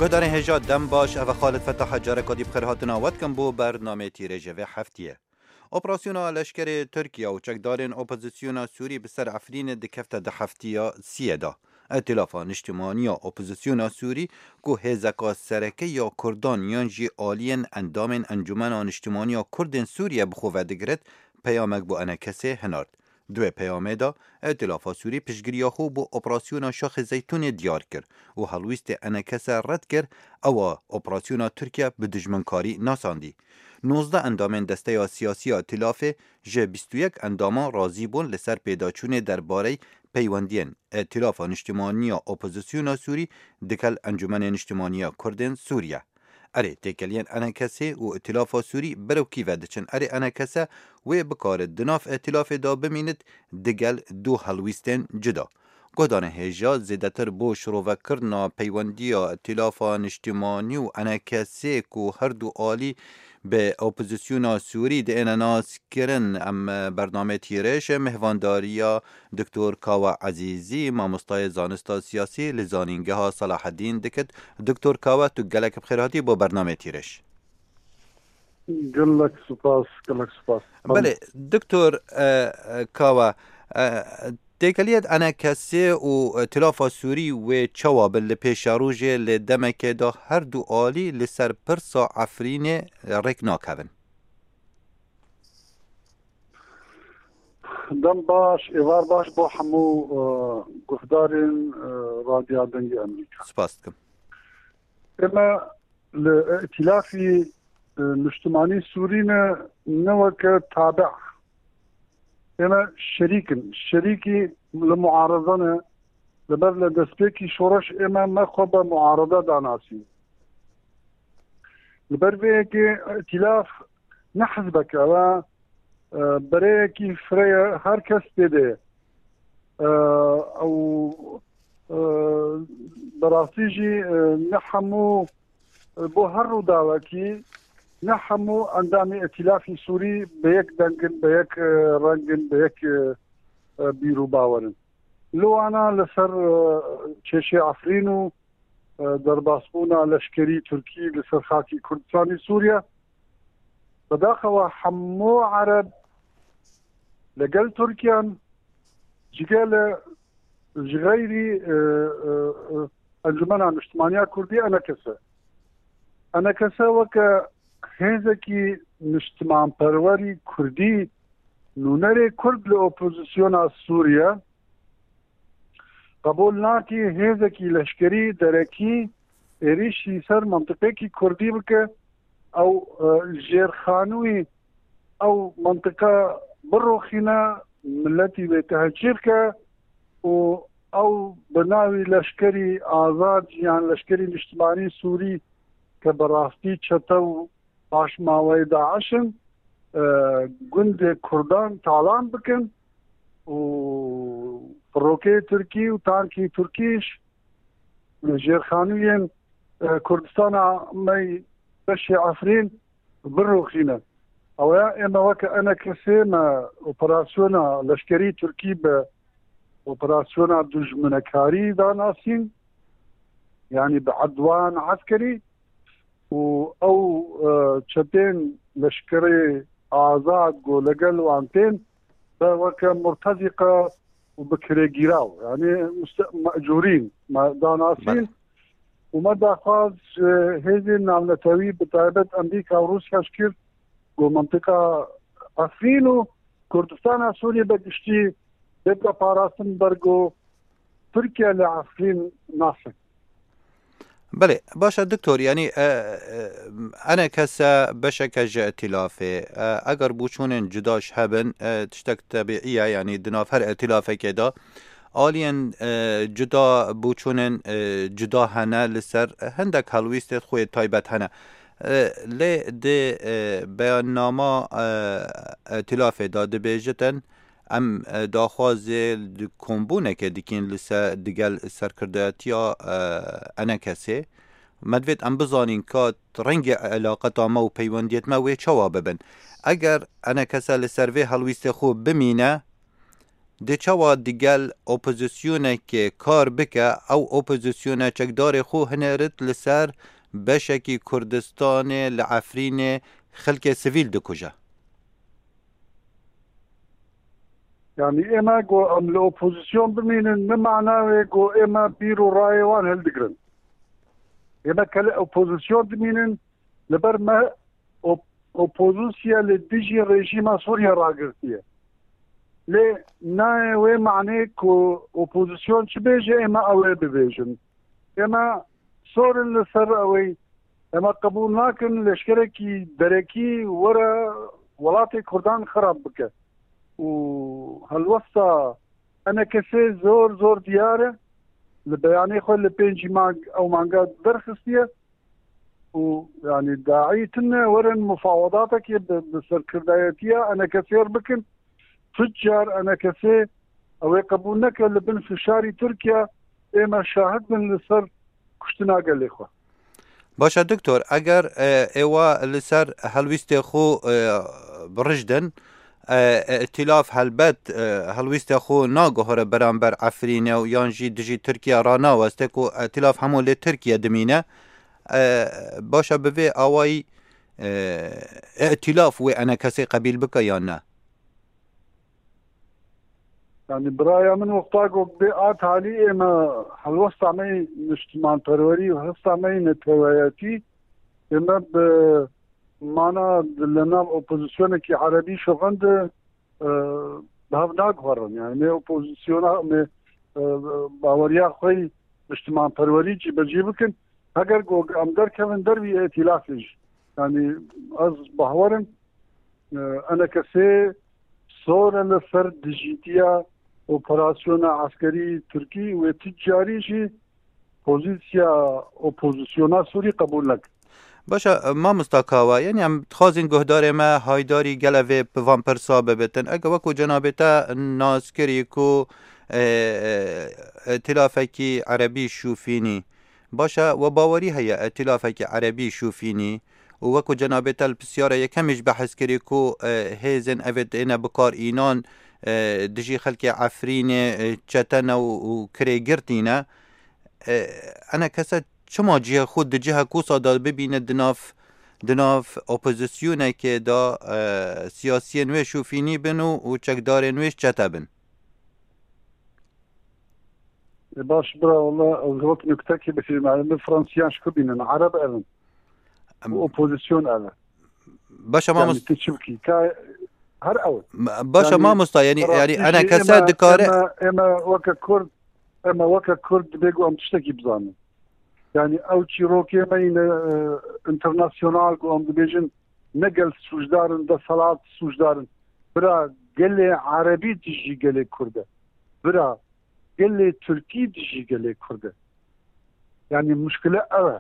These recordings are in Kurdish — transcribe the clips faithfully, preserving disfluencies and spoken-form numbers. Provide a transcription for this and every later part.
Guhdarên hêja dem baş, ev e Xalid Fetah, careka dî bi xêr hatina we dikim bo bernameyê Tîrêjê vê heftiyê. Operasyona leşkerê Tirkiye û çekdarên opozisyona Sûrî bi ser Efrînê dikefte di heftiya siyê de. Îtîlafa Niştimaniya Opozisyona Sûrî, ku hêzeka sereke ya Kurdan yan jî aliyên endamên Encûmena Niştimaniya Kurdên Sûriye bi xwe ve digirt, peyamek bo E N K S hinard. Di wê peyamê de, Îtîlafa Sûrî piştgiriya xwe bo operasyona Şaxê Zeytûnê diyar kir û helwîstê E N K S red kir, ewa operasyona Tirkiye bi dijminkarî nasandî. Nozdeh endamên desteya siyasî ya Îtîlafê ji bîst û yek endaman razî bûn li ser pêdaçûnê derbarey peywendiyên Îtîlafa Niştimaniya Opozisyona Sûrî digel Encûmenê Niştimaniya Kurdên Sûriye. Erê, têkeliyên E N K S û Îtîlafa Sûrî berewkî ve diçin. Erê, E N K S wê bikare di nav îtîlafê de bimînit digel du helwîstên cuda. Guhdarên hêja zêdetir bo şirovekirina peywendiya Îtîlafa Niştimanî û E N K S ku her du alî bi opozisyona Sûrî diêne nas kirin. Em bernameyê Tîrêj mêhvandariya Doktor Kawa Ezîzî, mamostayê zanista siyasî li Zanîngeha Selahedîn dikit. Doktor Kawa, tu gelek bi xêr hatî bo bernameyê Tîrêj. Gelek spas, gelek spas. Belê, Doktor, e, e, Kawa, e, têkeliya E N K S û Îtîlafa Sûrî wê çawa bin li pêşerojê, li demekê de her du alî li ser pirsa Efrînê rêk nakevin? Dem baş, êvar baş bo hemû, e, guhdarên, e, Radyoya Dengê Amerîka. Spas dikim. Ême li Îtîlafî, e, Niştimanî Sûrî ne, ne weke tabi. Ême şerîk in. Şerîkî li muareze ne. Li ber li destpêkî şoreş ême me xwe be muarede danasîn. Li ber vê yekê Îtîlaf ne hizbek e, ew e, e, bereyekî firê ye, her kes tê de ye. E, ew, e, bi rastî jî, e, ne hemû, e, bo her rûdawekî ne hemû endamê Îtîlafî Sûrî bi yek deng in, bi yek, e, reng in, bi yek, e, e, bîr û bawer in. Li wana li ser, e, kêşê Efrîn û, e, derbasbûna leşkerî Tirkî li ser xakî Kurdistanê Sûriye, bi daxewa hemû Ereb li gel Tirkiyan, cigele ji xeyrî, e, e, e, Encûmena Niştimaniya Kurdî, E N K S. E N K S weke hêzekî niştimanperwerî Kurdî, nûnerê Kurd li opozisyona Sûriye, qebûl nake hêzekî leşkerî derekî êrîş li ser mintiqekî Kurdî bike, ew, e, jêrxanûyî ew mintiqe biroxîne, miletî wê tehcîr ke û ew bi navî leşkerî azad yan leşkerî niştimanî Sûrî ke bi rastî çete û paşmaweyê DAIŞ in, e, gundê Kurdan talan bikin û firokeyê Tirkî û tankî Tirkî ji jêrxanûyên, e, Kurdistana me yê beşê Efrîn biroxîne. Ew ya ême weke E N K S me operasyona leşkerî Tirkî bi operasyona dijminekarî danasîn, yanî bi edwan eskerî û ew, e, çetên leşkerê azad ku legel wan tên, be weke murtezîqe û bi kirêgîraw, yanî muste-, mecûrîn me danasîn. Belê. Û me daxwaz ji hêzên navnetewî, bi taybet Amerîka û Rûsya, ji kir ku mintiqa Efrîn û Kurdistana Sûriyê be giştî bête parastin ber ku Tirkiye li Efrîn naxe. Belê, baş e, Doktor, yanî, e, e, E N K S beşeke ji îtîlafê, e, eger boçûnên cuda jî hebin, e, tiştek tebîî ye, yanî di nav her îtîlafekê de aliyên, e, cuda, boçûnên, e, cuda hene li ser hindek helwîstê xwe yê taybet hene. E, lê di, e, beyannama, e, îtîlafê de dibêjitin, em, e, daxwazê di kombûnekê dikin li ser, digel serkirdatiya, e, E N K S'ê. Me divêt em bizanîn ka rengê elaqeta me û peywendiyêt me wê çawa bibin. Eger E N K S li ser vê helwîstê xwe bimîne, dê çawa digel opozisyonekê kar bike, ew opozisyone çekdarê xwe hinerit li ser beşekî Kurdistanê li Efrînê xelkê sivîl dikuje? Yani ême ku em li opozisyon bimînin, ne mana wê ku ême bîr û rayê wan hildigirin. Ême kele opozisyon dimînin, li ber me op- opozisya li dijî rejîma Sûriye ragirtiye. Lê nayê wê manê ku opozisyon çi bêje, ême ew ê bibêjin. Ême sorin li ser ewê, ême qebûl nakin leşkerekî derekî were welatê Kurdan xirab bike. Û helwesta enekesê zor zor diyar e. Li beyanê xwe li pêncî mang ew manga derxistiye û yani daî tune werin mufawadatekê bi, bi serkirdayetiya enekesê re bikin. Tu car enekesê ew ê qebûl neke li bin fişarî Tirkiye, ême şahid bin li ser kuştina gelê xwe. Baş e doktor, eger e, êwa li ser helwîstê xwe e, birijdin, e, îtîlaf helbet e, helwîstê xwe naguhere beramber Efrînê û yan jî dijî Tirkiye ranaweste ku îtîlaf hemû li Tirkiye dimîne. E, baş e bi vê awayî e, îtîlaf wê enekesê qebîl bike yan ne? Yani biraya min wexta ku bê a talî ême helwesta me yê niştimanperwerî û hesta me yê neteweyetî ême bi mana di li nav opozisyonekî erebî şixin de e, bi hev naguherin. Yani me opozisyona me e, baweriya xwe yê niştimanperwerî cîbecî bikin. Heger ku em derkevin dervî îtîlafê jî. Yani ez bahwerim e, enekesê sor e li ser dijîtiya operasyona eskerî Tirkî wê tu carî jî pozîsiya opozisyona Sûrî qebûl nekin. Baş e, mamosta Kawa, yani em dixwazin guhdarê me haydarî gele vê bi van pirsa bibitin. Eke wekû cenabê te nas kirî ku e, e, îtîlafekî erebî şûfînî, baş e, we bawerî heye îtîlafekî erebî şûfînî û wekû cenabê te li pisyara yekemî jî behs kirî ku e, hêzên evê têne bikar înan e, dijî xelkê Efrînê e, çete ne û, û kirêgirtî ne. E, enekese çima cihê xwe di cihek wisa de bibîne di nav, di nav opozisyonekê de e, siyasiyên wê şûfînî bin û, û çekdarên wê çete bin? E, baş bira, wala ez wek nuktekî bifîlim, yani min Fransiyan ji ku bînin, Ereb ev in. Em, Bu opozisyon ev e. Baş e, yani mamost- tu çi bikî? Ka her ew. Baş e, yani, mamosta, yani, yani enekese dikare. Eme, eme weke Kurd, eme weke Kurd dibê ku em tiştekî bizanin. Yani ew çîrokê me yine e, internasyonal ku em dibêjin ne gel sûcdar in, deselat sûcdar in. Bira gelê Erebî dijî gelê Kurd e. Bira gelê Tirkî dijî gelê Kurd e. Yani muşkile ev e.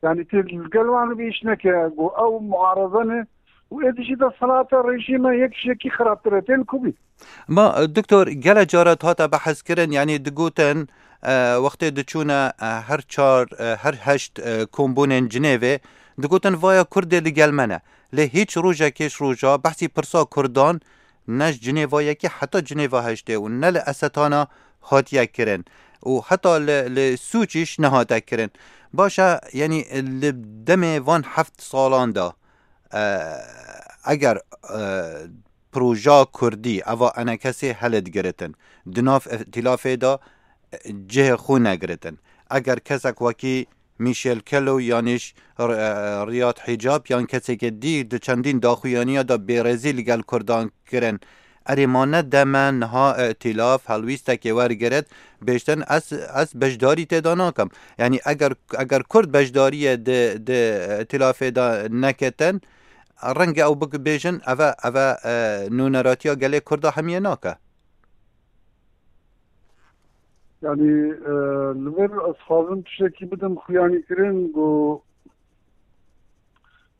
Yani tê li gel wan bi îş neke, got ew muareze ne û ê dijî desthilata rejîme yek ji yekî xirabtir e. Tên ku bî? Ma, e, doktor, gele cara hate behs kirin, yani digotin, e, wextê diçûne, e, her çar, e, her heşt, e, kombûnên Cinêvê, digotin vaya Kurdê li gel me ne. Lê hîç rojekê ji roja behsî pirsa Kurdan ne ji Cinêva yekê heta Cinêva heştê û ne li Esetana hatiye kirin û heta li, li Sûçî jî nehate kirin. Baş e, yanî li demê van heft salan de, e, eger, e, proja Kurdî, eva enekesê hildigiritin, di nav îtîlafê de, e, cihê xwe negiritin. Eger kesek wekî Michel Kelo yanî jî R-, e, Riyad Hicab yan keseke dî di çendîn daxuyaniya de bêrezî li gel Kurdan kirin. Erê ma ne deme niha îtîlaf helwîstekê wergirit, bêjtin ez, ez beşdarî tê de nakim. Yanî eger, eger Kurd beşdariyê di, di îtîlafê de neketin, renge ew bik-, bêjin, eve, eve, e, nûneratiya gelê Kurda hemiye nake. Yani, e, li vir ez xwazim tiştekî bidim xuyanîkirin ku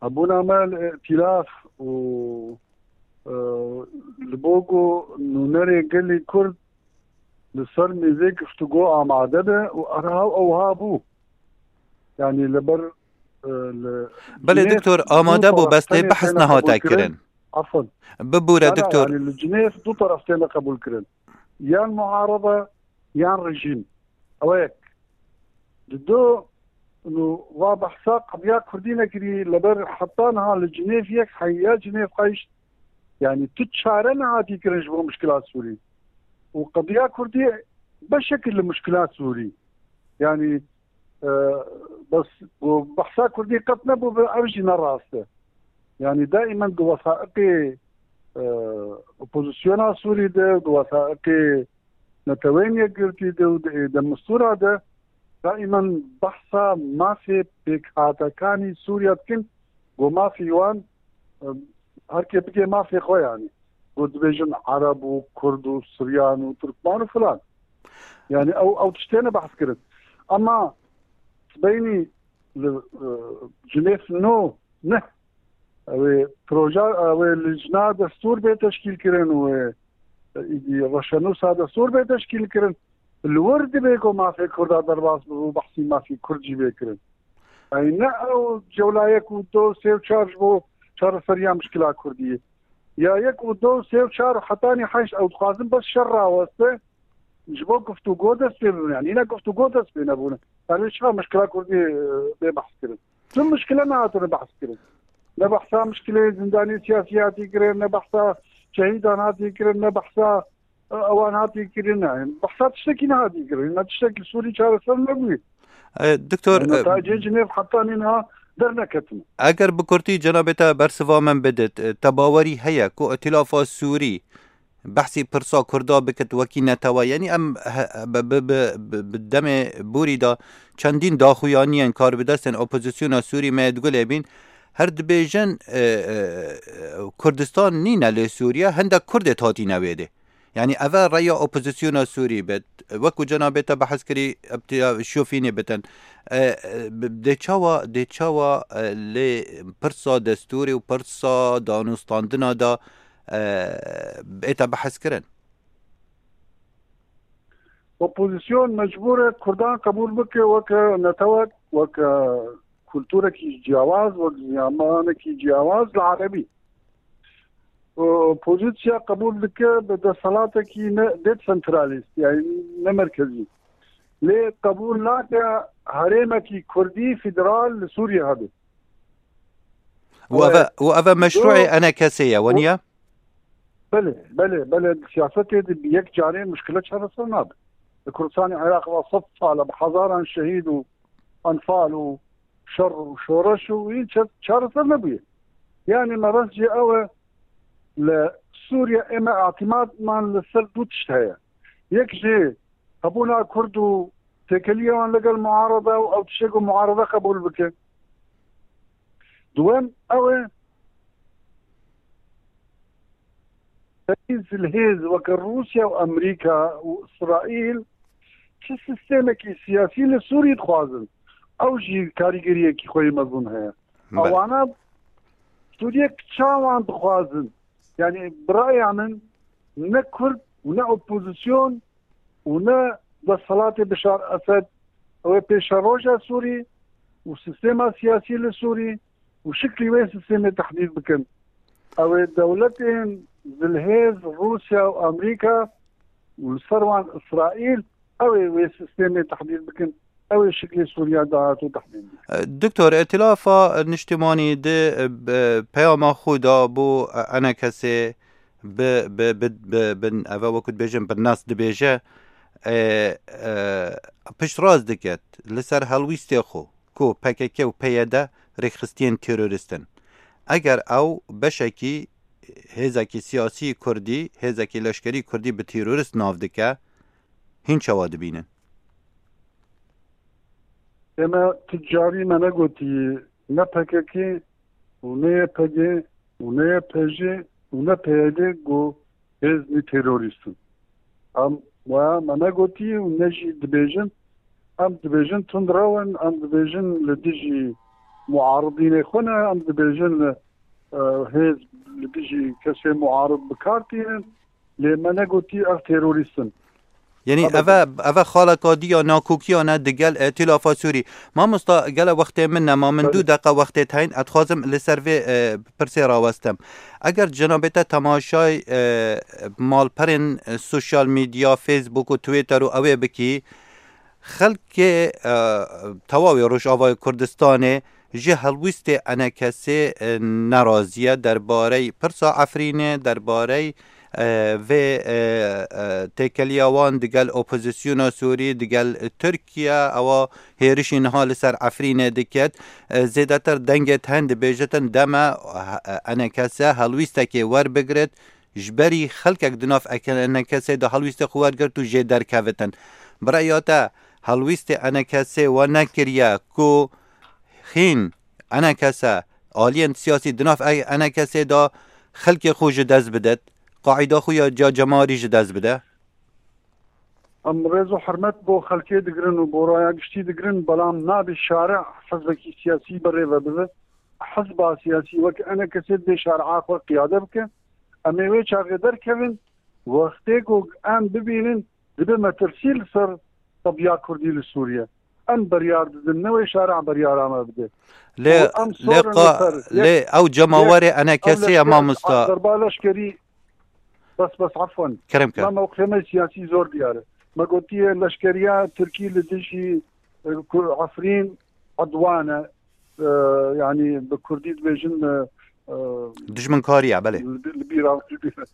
hebûna me li îtîlaf û, e, li bo ku nûnerê gelê Kurd li ser mêzê guftûgo amade be û erha ewha bû. Yani li ber, e, li Belê Cinêv doktor, du amade bû, taraf bes lê tenê behs têne nehate qebûlkirin. Kirin. Afwan. Bibûre Na, na, doktor. Yani li Cinêv du taraf têne qebûlkirin. yan muarada yan rejîm. Ew yek. Di do û va behsa qediya Kurdî nekirî, leber heta niha li Cinêv yek heya Cinêv qayişt. Yani tu çare nehatî kirin ji bo mişkila Sûrî. Û qediya Kurdî beşekî li mişkila Sûrî. Yani e, bes ku behsa Kurdî qet nebû, bi ev jî ne rast e. Yani daimen di wesaiqê e, opozisyona Sûrî de, di wesaiqê Neteweyên Yekgirtî de û di Êdem Mistûra de daimen behsa mafê pêkhatekanî Sûriya dikin, ku mafî wan, e, her kê bike mafê xwe yani. Ku dibêjin Ereb û Kurd û Suryan û Turkman û filan. Yani ew, ew tiştê ne behs kirin. Ama beynî li, e, Cinêv no, ne. Ew ê proje, ew ê lijna destûr bê teşkîl kirin û ê, ê, îdî reşenûsa destûr bê teşkîl kirin. Li wir dibe ku mafê Kurda derbas bibe û behsî mafî Kurd jî bê kirin. Ey ne ew cewla yek û du, sê û çar ji bo çareseriya mişkila Kurdî ye. Ya yek û du, sê û çar û hetanî heşt ew dixwazin bes şer raweste, ji bo guftûgo dest pê bibin. Yani yine guftûgo dest pê nebûne. Yani çawa mişkila Kurdî, e, bê behs kirin? Tüm mişkile nehatine behs kirin. Ne behsa mişkilê zindanê siyasî hatî kirin, ne behsa şehîdan hatî kirin, ne behsa, e, ewan hatî kirin. Yani behsa tiştekî nehatî kirin. Ne tiştekî Sûrî çareser nebûye. E, Doktor, e, netayicê Cinêv heta nîna derneketine. Eger bi kurtî cenabê te bersiva min bidit, e, te bawerî heye ku Îtîlafa Sûrî behsî pirsa Kurda bikit wekî netewe. Yanî em he-, bi, bi, bi, bi, bi demê borî de çendîn daxuyaniyên karbidestên opozisyona Sûrî me yê digulê bîn. Her dibêjin, e, e, Kurdistan nîne lê Sûriye, hindek Kurdê hatîne wê dê. Yanî ev e reya opozisyona Sûrî be. Wekî cenabê te behs kirî, ebtiya şofînê bitin. E, e, dê çawa, dê çawa, e, lê pirsa destûrê û pirsa danûstandina de e, bête behs kirin. Opozîsyon mecbûr e Kurdan qebûl bike weke netewek, weke kulturekî ciyawaz, wek ziyamanekî ciyawaz li erebî. Opozîsya qebûl dike bi desthilatekî ne desentralîst, yani ne merkezî. Lê qebûl nake herêmekî kurdî federal li Sûriye hebe. Û eve, û eve meşruê enekesê ye, weniye? Belê, belê, belê, siyasetê de bi yek carê mişkile çareser nabe. Li Kurdistanê Iraq ve sed sal e, bi hezaran şehîd û enfal û şer û şoreş û hîn çe-, çareser nebûye. Yani mebest jî ew e, li Sûriye ême îtîmadman li ser du tişt heye. Yek jî hebûna Kurd û têkiliya wan legel muarada û ew tiştê ku muarada qebûl bike. Duwem ew e, zilhêz weke Rûsya û Amerîka û Îsraîl çi sîstemekî siyasî li Sûrî dixwazin, ew jî karîgeriyekî xwe yê mezin heye. Belê. Ewana Sûriye çawan dixwazin? Yani bi raya min ne Kurd û ne opozîsyon û ne desthilatê Bişar Esed, ew ê pêşeroja Sûrî û sîstema siyasî li Sûrî û şiklî wê sîstemê tehdîd bikin. Ew ê dewletên zilhêz Rûsya û Amerîka û li ser wan Îsraîl, ew ê wê sîstemê tehdîd bikin. Ew ê şiklê Sûriya dahat û tehdîd bikin. Doktor, Îtîlafa Niştimanî di, e, peyama xwe da bo, e, enekesê bi, bi, bi, bi, bi, eve wekû dibêjin, bi nas dibêje, e, e, piştrast diket li ser helwîstê xwe ku P K K û P Y D rêkxistiyên terorîst in. Eger ew beşekî hêzekî siyasî kurdî, hêzekî leşkerî kurdî bi terorîst nav dike, hîn çawa dibînin? Ême tu carî me negotî ne P K K û ne Y P G û ne Y P J û ne P Y D ku hêzmî terorîst in. Em waya me negotî û ne jî dibêjin. Em dibêjin tundrew in, em dibêjin li dijî muaridînê xwe ne, em dibêjin li, e, hêz li dijî kesê muarid bi kar tînin. Lê me negotî ev terorîst in. Yanî eve, eve xaleka dî ya nakokiyane digel, e, Tîlafa Sûrî. Mamosta, gele wextê min nema, min du deqa wextê te hîn, ez dixwazim li ser vê, e, pirsê rawestim. Eger cenabê te temaşay, e, malperên, e, sosyal medya, Facebook û Twitter û ewê bikî, xelkê, e, tewawê Rojavayê Kurdistanê ji helwîstê enekesê, e, nerazî ye derbarey pirsa Efrînê, derbarey, e, vê, e, e, têkeliya wan digel opozisyona Sûrî, digel Tirkiye, ewa hêrişî niha li ser Efrînê diket. E, zêdetir dengê te hîn dibêjitin deme, e, enekese helwîstekê werbigrit, ji berî xelkek di nav eke-, enekesê de helwîstê xwe wergirt û jê derkevitin. Bi reya te helwîstê enekesê we nekiriye ku hîn enekese aliyên siyasî di nav e-, enekesê de xelkê xwe ji dest bidet, qaîda xwe ya ca cemarî ji dest bide? Em rêz û hurmet bo xelkê digirin û bo raya giştî digirin, belam nabe şare hizbekî siyasî berê ve bibe. Hizba siyasî wek enekesê dibê şare'a xwe qiyade bike. Em ê wê çaxê derkevin, wextê ku em bibînin, dibe metirsî li ser tebiya Kurdî li Sûriye. Em beryar didin, ne wê şare'a beryara me bide. Lê, Û em lê sorin qa-, li ser yek, lê ew cemawerê yek, enekesê ew ye, leşker, mamosta. Derba leşkerî, bes, bes, afwan. Kerem ke. Me mewqifê me siyasî zor diyar e. Me gotiye leşkeriya Tirkî li dijî, e, Ku-, Efrîn edwan e. E, yanî bi Kurdî dibêjin, e, e, Dijminkariye, belê. Li, li bîra, li bîra.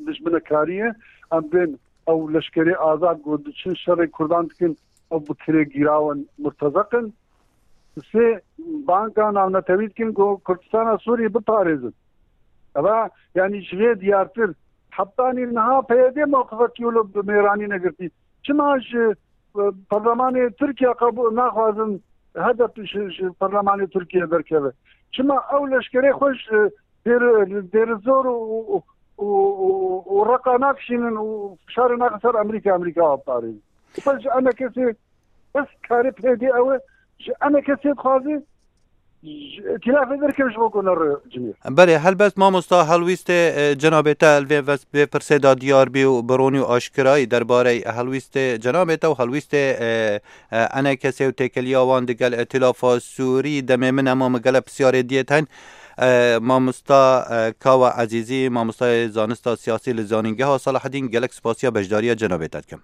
Dijminekariye. Em bên ew leşkerê azad ku diçin şerê Kurdan dikin, ew bi kirê gîrawin murtezeq in. Sê banga navnetewî dikin ku Kurdistana Sûriyê biparêzin. Eva, yanî ji vê diyartir, hetanî niha P Y D mewqifekî wilo bi mêranî negirtî. Çima ji, e, perlemanê Tirkiye qebûl naxwazin H D P ji, ji perlemanê Tirkiye derkeve? Çima ew leşkerê xwe ji Dêr-, Dêrizor û, û, û, û, û Reqa nakişînin û fişarê naxin ser Amerîka, Amerîka biparêzin? Xwe ji enekesê bes karê P Y D ew e, ji enekesê dixwaze ji îtîlafê derkeve ji bo ku nere Cinêv. Belê, helbet mamosta, helwîstê, e, cenabê te li vê ves-, vê pirsê de diyar bî û bi ronî û aşkirayî derbarê helwîstê cenabê te û helwîstê, e, e, enekesê û têkeliya wan digel îtîlafa Sûrî demê min e, ma min gele pisyarê diyê te hîn. E, mamosta, e, Kawa Ezîzî, mamostayê zanista siyasî li Zanîngeha Selahedîn, gelek spasiya beşdariya cenabê te dikim.